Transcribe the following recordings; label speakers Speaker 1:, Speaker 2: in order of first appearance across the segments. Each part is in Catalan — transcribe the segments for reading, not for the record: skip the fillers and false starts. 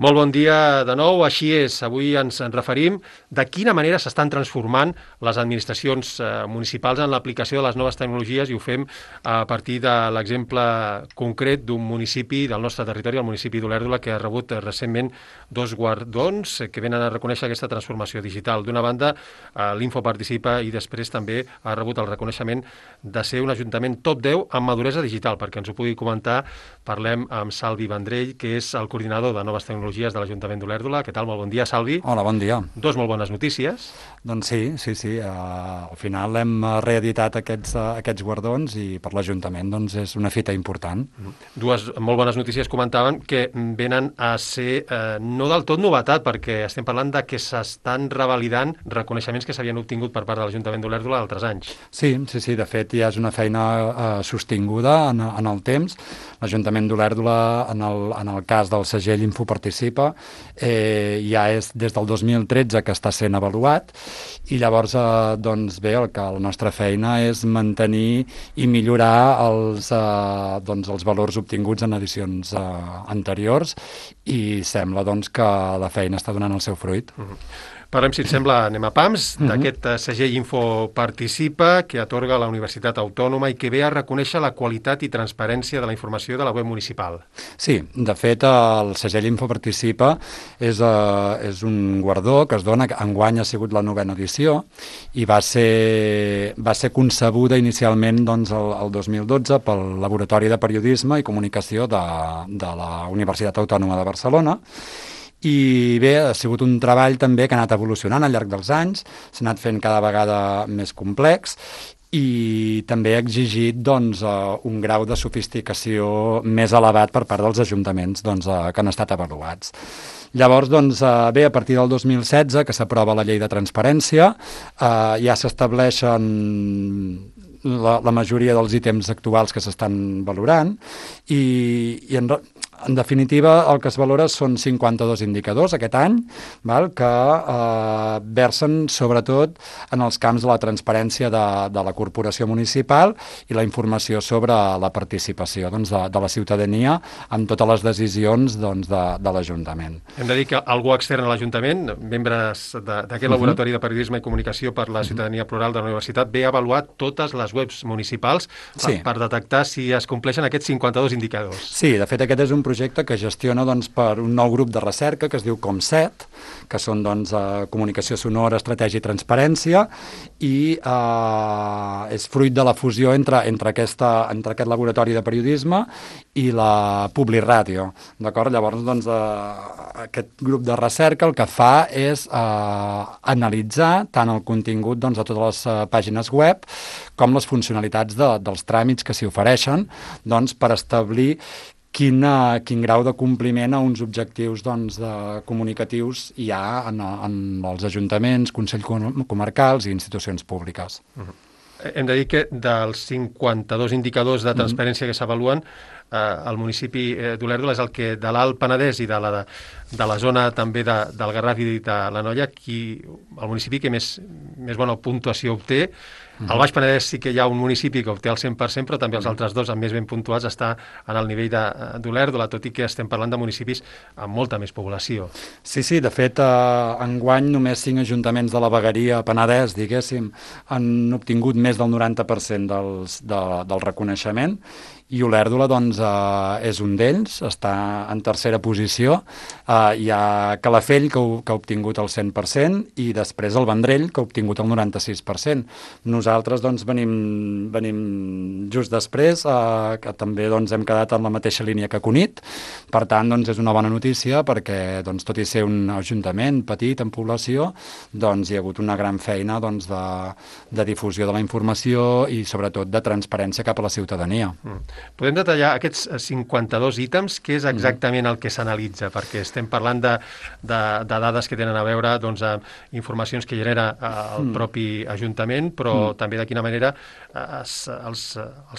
Speaker 1: Molt bon dia de nou, així és. Avui ens en referim de quina manera s'estan transformant les administracions municipals en l'aplicació de les noves tecnologies i ho fem a partir de l'exemple concret d'un municipi del nostre territori, el municipi d'Olèrdola, que ha rebut recentment 2 guardons que venen a reconèixer aquesta transformació digital. D'una banda, l'Info participa i després també ha rebut el reconeixement de ser un ajuntament top 10 en maduresa digital. Perquè ens ho pugui comentar, parlem amb Salvi Vendrell, que és el coordinador de noves tecnologies de l'Ajuntament d'Olèrdola. Què tal? Molt bon dia, Salvi.
Speaker 2: Hola, bon dia.
Speaker 1: Dos molt bones notícies.
Speaker 2: Doncs sí. Al final hem reeditat aquests guardons i per l'Ajuntament doncs és una fita important.
Speaker 1: Dues molt bones notícies comentaven que venen a ser no del tot novetat, perquè estem parlant de que s'estan revalidant reconeixements que s'havien obtingut per part de l'Ajuntament d'Olèrdola d'altres anys.
Speaker 2: Sí, de fet ja és una feina sostinguda en el temps. L'Ajuntament d'Olèrdola, en el cas del segell Info participa, ja és des del 2013 que està sent avaluat i llavors doncs bé, la nostra feina és mantenir i millorar els valors obtinguts en edicions anteriors i sembla doncs que la feina està donant el seu fruit.
Speaker 1: Parlem, si et sembla, anem a pams, d'aquest segell Info participa, que atorga la Universitat Autònoma i que ve a reconèixer la qualitat i transparència de la informació de la web municipal.
Speaker 2: Sí, de fet, el segell Info participa és un guardó que es dona, enguany ha sigut la 9ª edició, i va ser concebuda inicialment doncs, el 2012 pel Laboratori de Periodisme i Comunicació de la Universitat Autònoma de Barcelona. I bé, ha sigut un treball també que ha anat evolucionant al llarg dels anys, s'ha anat fent cada vegada més complex i també ha exigit doncs, un grau de sofisticació més elevat per part dels ajuntaments que han estat avaluats. Llavors, bé, a partir del 2016, que s'aprova la llei de transparència, ja s'estableixen la majoria dels ítems actuals que s'estan valorant i en definitiva, el que es valora són 52 indicadors aquest any, que versen sobretot en els camps de la transparència de la corporació municipal i la informació sobre la participació de la ciutadania en totes les decisions de l'Ajuntament.
Speaker 1: Hem de dir que algú extern a l'Ajuntament, membres d'aquest Laboratori de Periodisme i Comunicació per la Ciutadania Plural de la Universitat, ve a avaluar totes les webs municipals per detectar si es compleixen aquests 52 indicadors.
Speaker 2: Sí, de fet aquest és un projecte que gestiona per un nou grup de recerca que es diu COMSET, que són comunicació sonora, estratègia i transparència, i és fruit de la fusió entre aquest laboratori de periodisme i la Publiràdio. D'acord? Llavors, aquest grup de recerca el que fa és analitzar tant el contingut de totes les pàgines web com les funcionalitats dels tràmits que s'hi ofereixen per establir quin grau de compliment a uns objectius comunicatius hi ha en els ajuntaments, consells comarcals i institucions públiques.
Speaker 1: Hem de dir que dels 52 indicadors de transparència que s'avaluen, el municipi d'Olèrdola és el que de l'Alt Penedès i de la zona també del Garraf i de l'Anoia, el municipi que més bona puntuació obté. Al Baix Penedès sí que hi ha un municipi que obté el 100%, però també els altres dos, amb més ben puntuats, està en el nivell d'Olèrdola, tot i que estem parlant de municipis amb molta més població.
Speaker 2: Sí, de fet, enguany només 5 ajuntaments de la vegueria Penedès, diguéssim, han obtingut més del 90% del reconeixement, i Olèrdola és un d'ells, està en tercera posició. Hi ha Calafell, que ha obtingut el 100%, i després el Vendrell, que ha obtingut el 96%. Nosaltres venim just després, que també hem quedat en la mateixa línia que Cunit. Per tant, és una bona notícia, perquè tot i ser un ajuntament petit en població, hi ha hagut una gran feina de difusió de la informació i sobretot de transparència cap a la ciutadania.
Speaker 1: Podem detallar aquests 52 ítems, què és exactament el que s'analitza? Perquè estem parlant de dades que tenen a veure amb informacions que genera el propi Ajuntament, però també de quina manera els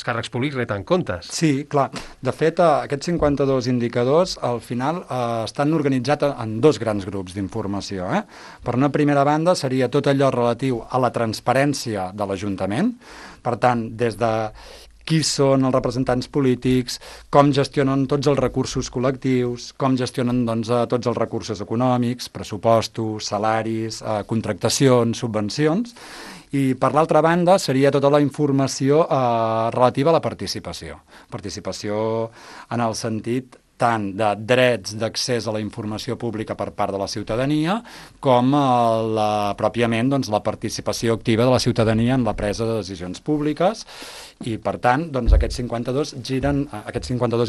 Speaker 1: càrrecs públics reten comptes.
Speaker 2: Sí, clar. De fet, aquests 52 indicadors al final estan organitzats en 2 grans grups d'informació. Per una primera banda seria tot allò relatiu a la transparència de l'Ajuntament, per tant, des de qui són els representants polítics, com gestionen tots els recursos col·lectius, com gestionen doncs, tots els recursos econòmics, pressupostos, salaris, contractacions, subvencions. I, per l'altra banda, seria tota la informació relativa a la participació. Participació en el sentit tant de drets d'accés a la informació pública per part de la ciutadania com pròpiament doncs, la participació activa de la ciutadania en la presa de decisions públiques i, per tant, doncs, aquests 52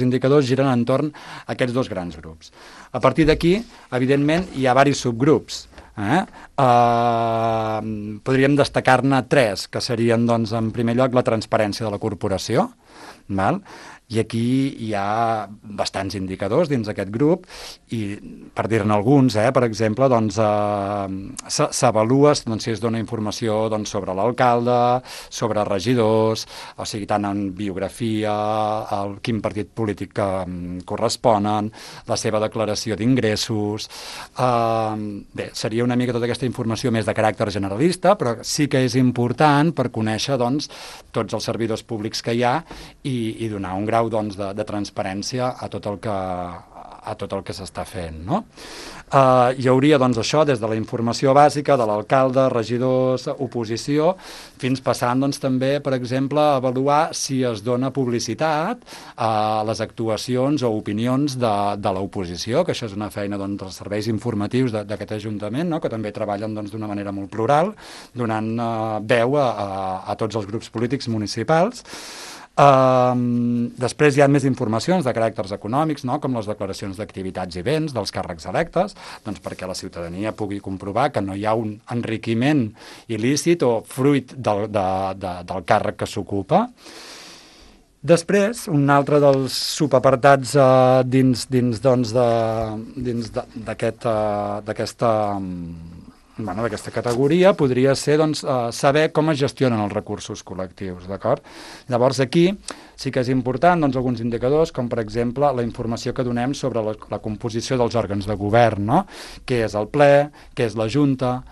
Speaker 2: indicadors giren entorn a aquests dos grans grups. A partir d'aquí, evidentment, hi ha diversos subgrups. Podríem destacar-ne 3, que serien, doncs, en primer lloc, la transparència de la corporació, val? I aquí hi ha bastants indicadors dins d'aquest grup i, per dir-ne alguns, per exemple, doncs, s'avalua si es dona informació doncs, sobre l'alcalde, sobre regidors, o sigui, tant en biografia, quin partit polític corresponen, la seva declaració d'ingressos. Bé, seria una mica tota aquesta informació més de caràcter generalista, però sí que és important per conèixer doncs, tots els servidors públics que hi ha i donar un grau doncs, de transparència a tot el que s'està fent. No? Hi hauria doncs, això des de la informació bàsica de l'alcalde, regidors, oposició, fins passant doncs, també, per exemple, a avaluar si es dona publicitat a les actuacions o opinions de l'oposició, que això és una feina doncs, dels serveis informatius d'aquest Ajuntament, no? Que també treballen doncs, d'una manera molt plural, donant veu a tots els grups polítics municipals. Després hi ha més informacions de caràcters econòmics, no? Com les declaracions d'activitats i béns dels càrrecs electes, doncs perquè la ciutadania pugui comprovar que no hi ha un enriquiment il·lícit o fruit del càrrec que s'ocupa. Després, un altre dels subapartats dins d'aquesta categoria podria ser doncs, saber com es gestionen els recursos col·lectius, d'acord? Llavors aquí sí que és important doncs, alguns indicadors, com per exemple la informació que donem sobre la composició dels òrgans de govern, no? Què és el ple, què és la Junta,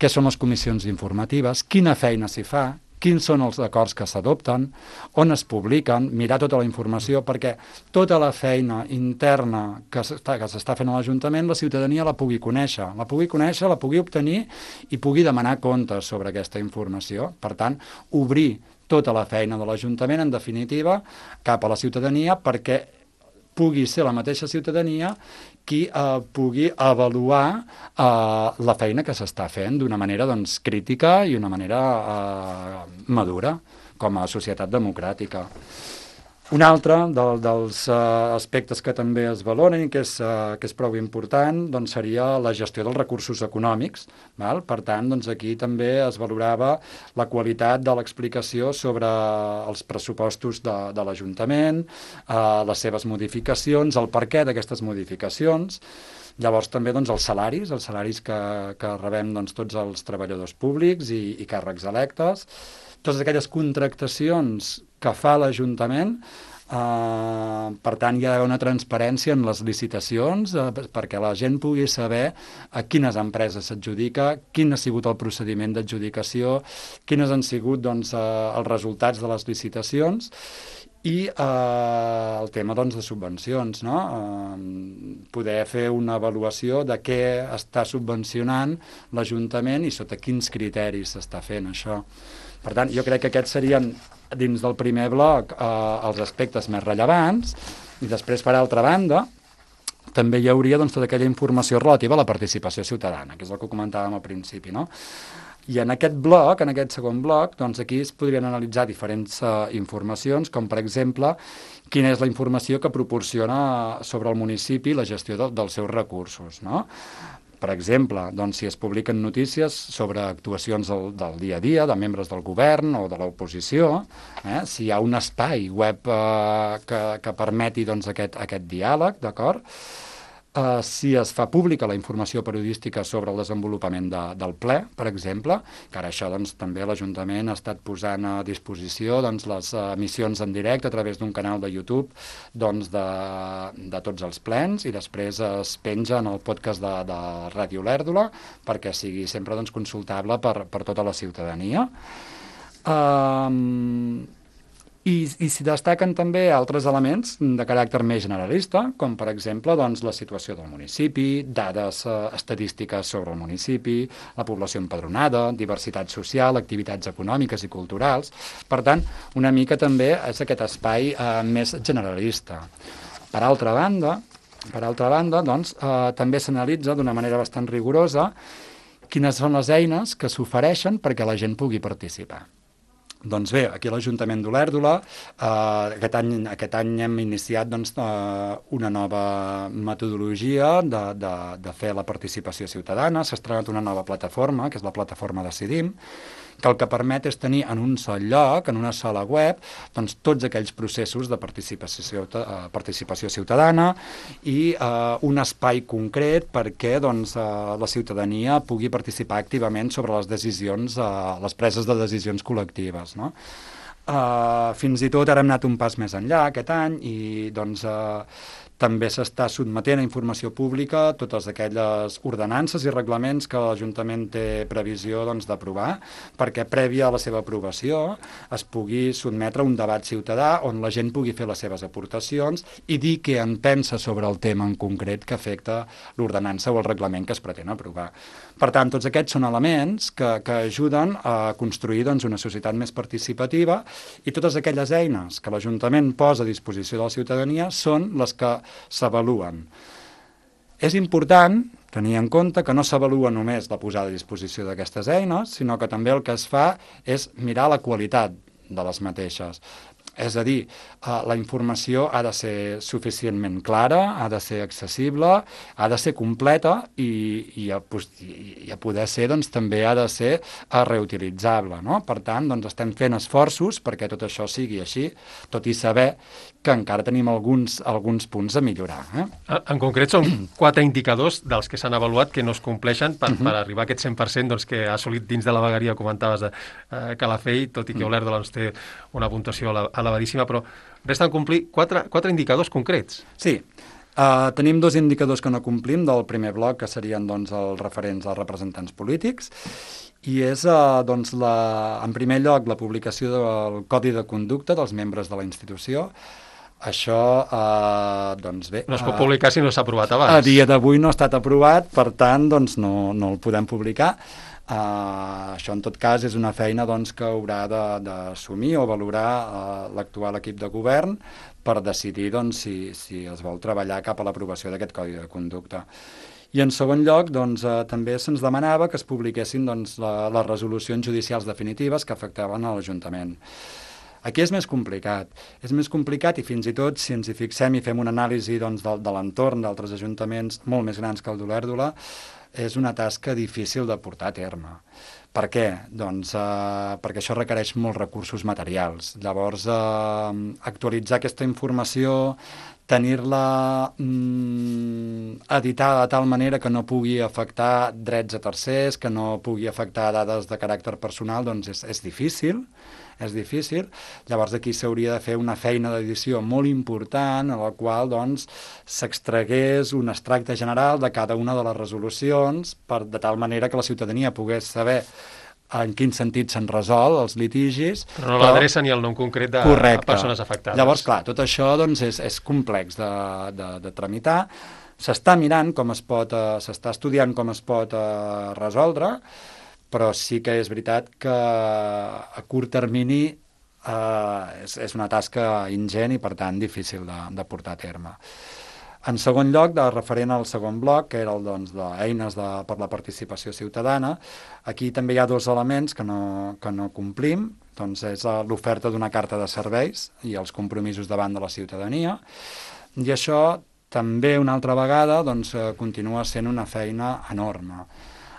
Speaker 2: què són les comissions informatives, quina feina s'hi fa, quins són els acords que s'adopten, on es publiquen, mirar tota la informació, perquè tota la feina interna que s'està fent a l'Ajuntament, la ciutadania la pugui conèixer, la pugui obtenir i pugui demanar comptes sobre aquesta informació. Per tant, obrir tota la feina de l'Ajuntament, en definitiva, cap a la ciutadania, perquè pugui ser la mateixa ciutadania qui pugui avaluar la feina que s'està fent d'una manera doncs, crítica i una manera madura com a societat democràtica. Un altre dels aspectes que també es valoren i que és prou important doncs seria la gestió dels recursos econòmics. Val? Per tant, doncs aquí també es valorava la qualitat de l'explicació sobre els pressupostos de l'Ajuntament, les seves modificacions, el perquè d'aquestes modificacions. Llavors també doncs, els salaris que rebem doncs, tots els treballadors públics i càrrecs electes, totes aquelles contractacions que fa l'Ajuntament, per tant hi ha d'haver una transparència en les licitacions perquè la gent pugui saber a quines empreses s'adjudica, quin ha sigut el procediment d'adjudicació, quines han sigut doncs, els resultats de les licitacions i el tema doncs, de subvencions, no? Poder fer una avaluació de què està subvencionant l'Ajuntament i sota quins criteris s'està fent això. Per tant, jo crec que aquests serien, dins del primer bloc, els aspectes més rellevants, i després, per altra banda, també hi hauria doncs, tota aquella informació relativa a la participació ciutadana, que és el que comentàvem al principi, no? I en aquest bloc, en aquest segon bloc, doncs aquí es podrien analitzar diferents informacions, com per exemple, quina és la informació que proporciona sobre el municipi la gestió dels seus recursos, no? Per exemple, doncs, si es publiquen notícies sobre actuacions del dia a dia de membres del govern o de l'oposició, si hi ha un espai web que permeti doncs, aquest diàleg, d'acord? Si es fa pública la informació periodística sobre el desenvolupament del ple, per exemple, que ara això doncs, també l'Ajuntament ha estat posant a disposició doncs, les emissions en directe a través d'un canal de YouTube doncs, de tots els plens i després es penja en el podcast de Ràdio Lèrdula perquè sigui sempre doncs, consultable per tota la ciutadania. I s'hi destaquen també altres elements de caràcter més generalista, com per exemple doncs, la situació del municipi, dades estadístiques sobre el municipi, la població empadronada, diversitat social, activitats econòmiques i culturals. Per tant, una mica també és aquest espai més generalista. Per altra banda, doncs, també s'analitza d'una manera bastant rigorosa quines són les eines que s'ofereixen perquè la gent pugui participar. Doncs bé, aquí a l'Ajuntament d'Olèrdola aquest any hem iniciat doncs, una nova metodologia de fer la participació ciutadana. S'ha estrenat una nova plataforma, que és la plataforma Decidim, que el que permet és tenir en un sol lloc, en una sola web, doncs, tots aquells processos de participació ciutadana i un espai concret perquè doncs, la ciutadania pugui participar activament sobre les decisions, les preses de decisions col·lectives. No? Fins i tot ara hem anat un pas més enllà aquest any i doncs, també s'està sotmetent a informació pública totes aquelles ordenances i reglaments que l'Ajuntament té previsió doncs, d'aprovar, perquè prèvia a la seva aprovació es pugui sotmetre a un debat ciutadà on la gent pugui fer les seves aportacions i dir què en pensa sobre el tema en concret que afecta l'ordenança o el reglament que es pretén aprovar. Per tant, tots aquests són elements que ajuden a construir doncs, una societat més participativa i totes aquelles eines que l'Ajuntament posa a disposició de la ciutadania són les que s'avaluen. És important tenir en compte que no s'avalua només la posada a disposició d'aquestes eines, sinó que també el que es fa és mirar la qualitat de les mateixes. És a dir, la informació ha de ser suficientment clara, ha de ser accessible, ha de ser completa i a poder ser doncs, també ha de ser reutilitzable. No? Per tant, doncs, estem fent esforços perquè tot això sigui així, tot i saber que encara tenim alguns punts a millorar.
Speaker 1: En concret, són 4 indicadors dels que s'han avaluat que no es compleixen per arribar a aquest 100% doncs, que ha assolit dins de la vegueria, comentaves, de Calafell, tot i que Olèrdola doncs, té una puntuació elevadíssima, però resten complir 4 indicadors concrets.
Speaker 2: Sí. Tenim 2 indicadors que no complim del primer bloc, que serien doncs, els referents als representants polítics, i és, doncs, en primer lloc, la publicació del Codi de Conducta dels membres de la institució. Això, doncs bé...
Speaker 1: No es pot publicar si no s'ha aprovat abans.
Speaker 2: A dia d'avui no ha estat aprovat, per tant, doncs no el podem publicar. Això, en tot cas, és una feina doncs, que haurà d'assumir o valorar l'actual equip de govern per decidir doncs, si es vol treballar cap a l'aprovació d'aquest Codi de Conducta. I en segon lloc, doncs, també se'ns demanava que es publiquessin doncs, les resolucions judicials definitives que afectaven a l'Ajuntament. Aquí és més complicat i fins i tot si ens hi fixem i fem una anàlisi doncs, de l'entorn d'altres ajuntaments molt més grans que el d'Olèrdola, és una tasca difícil de portar a terme. Per què? Doncs perquè això requereix molts recursos materials. Llavors, actualitzar aquesta informació, tenir-la editada de tal manera que no pugui afectar drets a tercers, que no pugui afectar dades de caràcter personal, doncs és difícil. Llavors aquí s'hauria de fer una feina d'edició molt important en la qual doncs, s'extragués un extracte general de cada una de les resolucions de tal manera que la ciutadania pogués saber en quin sentit s'han resolt els litigis.
Speaker 1: Però no l'adreça ni el nom concret de persones afectades.
Speaker 2: Llavors, clar, tot això doncs, és complex de tramitar. S'està mirant com es pot, s'està estudiant com es pot resoldre, però sí que és veritat que a curt termini és una tasca ingent i, per tant, difícil de portar a terme. En segon lloc, referent al segon bloc, que era el d'eines per la participació ciutadana, aquí també hi ha 2 elements que no complim, doncs és l'oferta d'una carta de serveis i els compromisos davant de la ciutadania, i això també una altra vegada doncs, continua sent una feina enorme,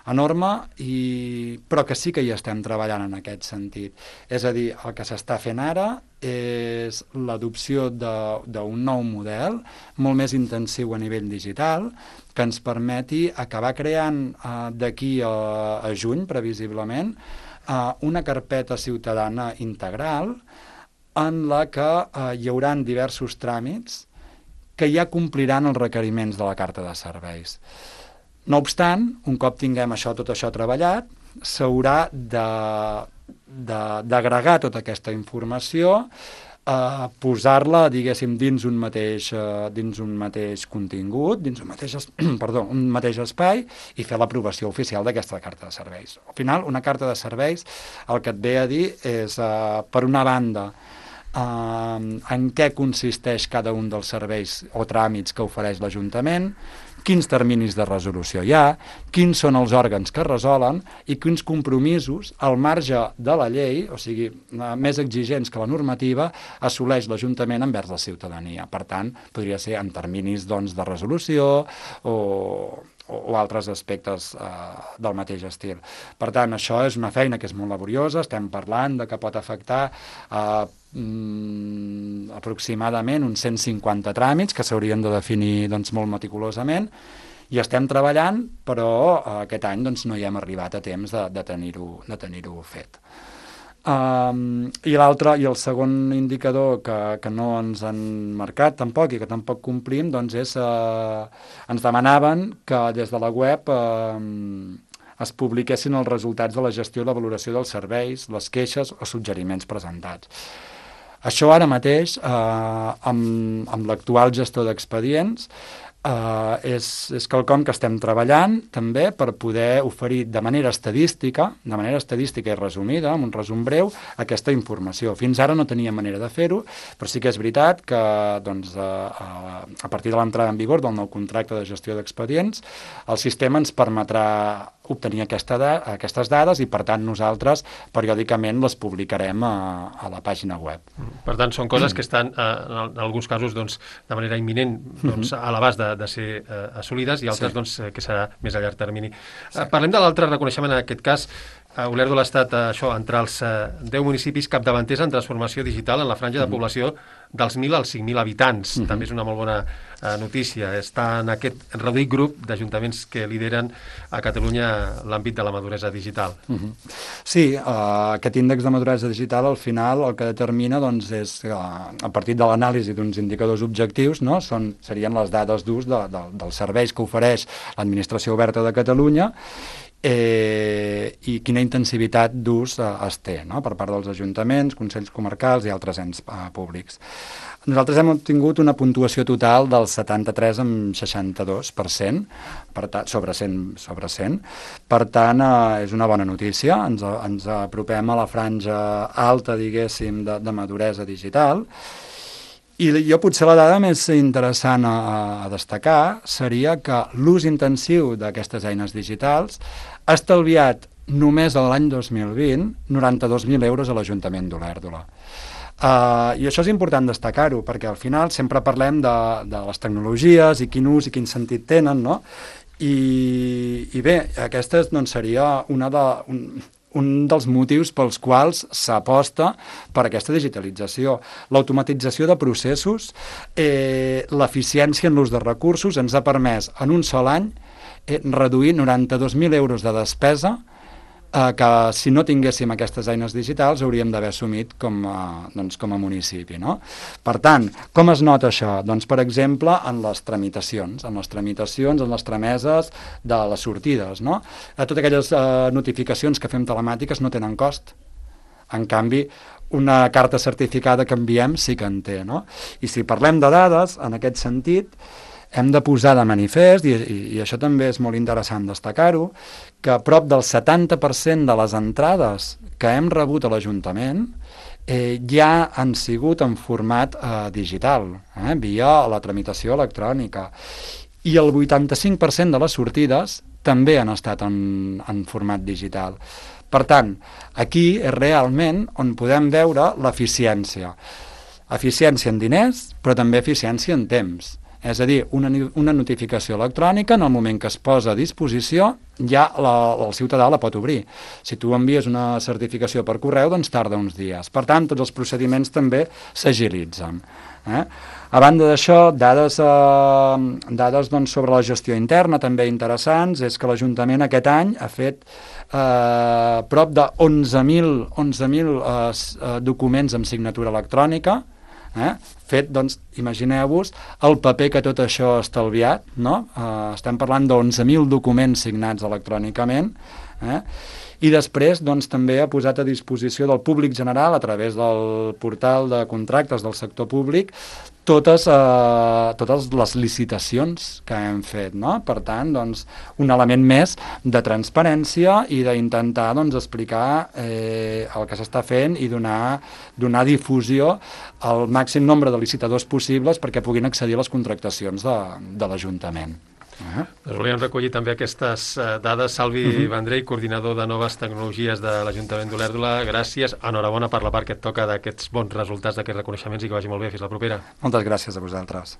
Speaker 2: però que sí que hi estem treballant en aquest sentit. És a dir, el que s'està fent ara és l'adopció d'un nou model molt més intensiu a nivell digital que ens permeti acabar creant d'aquí a juny, previsiblement, una carpeta ciutadana integral en la que hi haurà diversos tràmits que ja compliran els requeriments de la carta de serveis. No obstant, un cop tinguem tot això treballat, s'haurà d'agregar tota aquesta informació posar-la, diguéssim, dins un mateix contingut, dins un mateix espai, i fer l'aprovació oficial d'aquesta carta de serveis. Al final, una carta de serveis el que et ve a dir és, per una banda, en què consisteix cada un dels serveis o tràmits que ofereix l'Ajuntament, quins terminis de resolució hi ha, quins són els òrgans que resolen i quins compromisos, al marge de la llei, o sigui, més exigents que la normativa, assoleix l'Ajuntament envers la ciutadania. Per tant, podria ser en terminis doncs, de resolució o altres aspectes del mateix estil. Per tant, això és una feina que és molt laboriosa, estem parlant de que pot afectar aproximadament uns 150 tràmits que s'haurien de definir doncs, molt meticulosament, i estem treballant, però aquest any doncs, no hi hem arribat a temps de tenir-ho fet. I el segon indicador que no ens han marcat tampoc i que tampoc complim doncs és, ens demanaven que des de la web es publiquessin els resultats de la gestió i la valoració dels serveis, les queixes o suggeriments presentats. Això ara mateix, amb l'actual gestor d'expedients, és quelcom que estem treballant també per poder oferir de manera estadística i resumida, amb un resum breu, aquesta informació. Fins ara no tenia manera de fer-ho, però sí que és veritat que doncs, a partir de l'entrada en vigor del nou contracte de gestió d'expedients, el sistema ens permetrà obtenir aquestes dades i, per tant, nosaltres periòdicament les publicarem a la pàgina web.
Speaker 1: Per tant, són coses que estan, en alguns casos, doncs, de manera imminent a l'abast de ser assolides i altres doncs, que serà més a llarg termini. Parlem de l'altre reconeixement, en aquest cas, Olèrdola ha estat entre els 10 municipis capdavanters en transformació digital en la franja de població dels 1.000 als 5.000 habitants. També és una molt bona notícia. Està en aquest reduït grup d'ajuntaments que lideren a Catalunya l'àmbit de la maduresa digital.
Speaker 2: Sí, aquest índex de maduresa digital al final el que determina doncs, és a partir de l'anàlisi d'uns indicadors objectius, no? Serien les dades d'ús dels serveis que ofereix l'Administració Oberta de Catalunya i quina intensivitat d'ús es té, no? Per part dels ajuntaments, consells comarcals i altres ens públics. Nosaltres hem obtingut una puntuació total del 73,62% sobre 100. Per tant, és una bona notícia. Ens apropem a la franja alta, diguéssim, de maduresa digital. I jo potser la dada més interessant a destacar seria que l'ús intensiu d'aquestes eines digitals ha estalviat només l'any 2020 92.000 euros a l'Ajuntament d'Olèrdola. I això és important destacar-ho, perquè al final sempre parlem de les tecnologies i quin ús i quin sentit tenen, no? I bé, aquesta doncs, seria un dels motius pels quals s'aposta per aquesta digitalització. L'automatització de processos, l'eficiència en l'ús de recursos ens ha permès en un sol any reduir 92.000 euros de despesa que si no tinguéssim aquestes eines digitals hauríem d'haver assumit com a municipi. No? Per tant, com es nota això? Doncs, per exemple, en les tramitacions, en les trameses de les sortides. No? Totes aquelles notificacions que fem telemàtiques no tenen cost. En canvi, una carta certificada que enviem sí que en té. No? I si parlem de dades, en aquest sentit, hem de posar de manifest, i això també és molt interessant destacar-ho, que prop del 70% de les entrades que hem rebut a l'Ajuntament ja han sigut en format digital, via la tramitació electrònica. I el 85% de les sortides també han estat en format digital. Per tant, aquí és realment on podem veure l'eficiència. Eficiència en diners, però també eficiència en temps. És a dir, una notificació electrònica, en el moment que es posa a disposició, ja el ciutadà la pot obrir. Si tu envies una certificació per correu, doncs tarda uns dies. Per tant, tots els procediments també s'agilitzen. A banda d'això, dades doncs, sobre la gestió interna també interessants, és que l'Ajuntament aquest any ha fet prop de 11.000 documents amb signatura electrònica, Fet, doncs, imagineu-vos el paper que tot això ha estalviat, no? Estem parlant d'11.000 documents signats electrònicament, i després doncs, també ha posat a disposició del públic general, a través del portal de contractes del sector públic, totes les licitacions que hem fet, no? Per tant, doncs, un element més de transparència i d'intentar doncs, explicar el que s'està fent i donar difusió al màxim nombre de licitadors possibles perquè puguin accedir a les contractacions de l'Ajuntament.
Speaker 1: Doncs volíem recollir també aquestes dades. Salvi Vendrell, coordinador de noves tecnologies de l'Ajuntament d'Olèrdola, gràcies, enhorabona per la part que et toca d'aquests bons resultats, d'aquests reconeixements i que vagi molt bé. Fins la propera.
Speaker 2: Moltes gràcies a vosaltres.